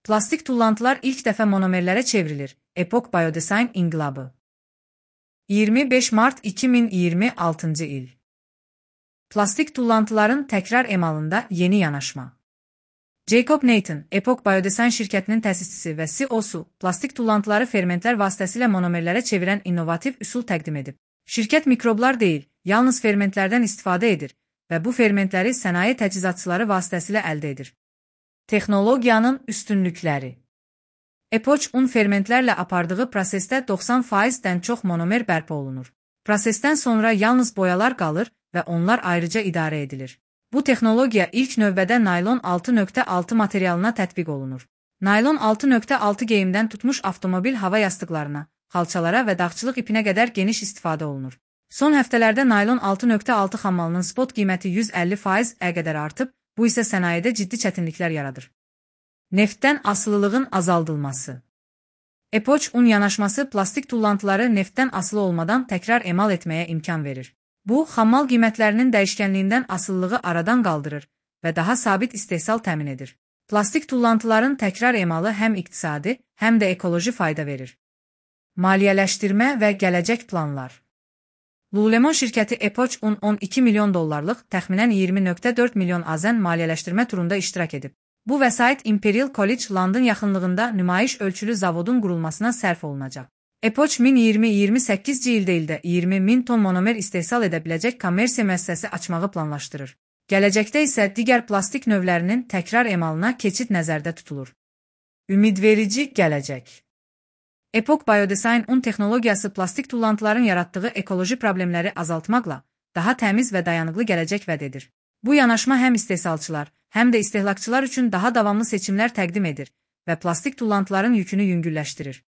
Plastik tullantılar ilk dəfə monomerlərə çevrilir. Epoch Biodesign inqilabı. 25 Mart 2026 il. Plastik tullantıların təkrar emalında yeni yanaşma. Jacob Nathan, Epoch Biodesign şirkətinin təsisçisi və CEO-su, plastik tullantıları fermentlər vasitəsilə monomerlərə çevirən innovativ üsul təqdim edib. Şirkət mikroblar deyil, yalnız fermentlərdən istifadə edir və bu fermentləri sənaye təchizatçıları vasitəsilə əldə edir. Texnologiyanın üstünlükləri. Epoch un fermentlərlə apardığı prosesdə 90%-dən çox monomer bərpa olunur. Prosesdən sonra yalnız boyalar qalır və onlar ayrıca idarə edilir. Bu texnologiya ilk növbədə naylon 6.6 materialına tətbiq olunur. Naylon 6.6 geyimdən tutmuş avtomobil hava yastıqlarına, xalçalara və dağçılıq ipinə qədər geniş istifadə olunur. Son həftələrdə naylon 6.6 xammalının spot qiyməti 150%-ə qədər artıb, bu isə sənayedə ciddi çətinliklər yaradır. Neftdən asılılığın azaldılması. Epoch un yanaşması plastik tullantıları neftdən asılı olmadan təkrar emal etməyə imkan verir. Bu, xammal qiymətlərinin dəyişkənliyindən asılılığı aradan qaldırır və daha sabit istehsal təmin edir. Plastik tullantıların təkrar emalı həm iqtisadi, həm də ekoloji fayda verir. Maliyyələşdirmə və gələcək planlar. Lululemon şirkəti Epoch un $12 milyon, təxminən 20.4 milyon AZN maliyyələşdirmə turunda iştirak edib. Bu vəsait Imperial College London yaxınlığında nümayiş ölçülü zavodun qurulmasına sərf olunacaq. Epoch 2028-ci ildə 20.000 ton monomer istehsal edə biləcək kommersiya müəssisəsi açmağı planlaşdırır. Gələcəkdə isə digər plastik növlərinin təkrar emalına keçid nəzərdə tutulur. Ümidverici gələcək. Epoch Biodesign un texnologiyası plastik tullantıların yaratdığı ekoloji problemləri azaltmaqla daha təmiz və dayanıqlı gələcək vəd edir. Bu yanaşma həm istehsalçılar, həm də istehlakçılar üçün daha davamlı seçimlər təqdim edir və plastik tullantıların yükünü yüngülləşdirir.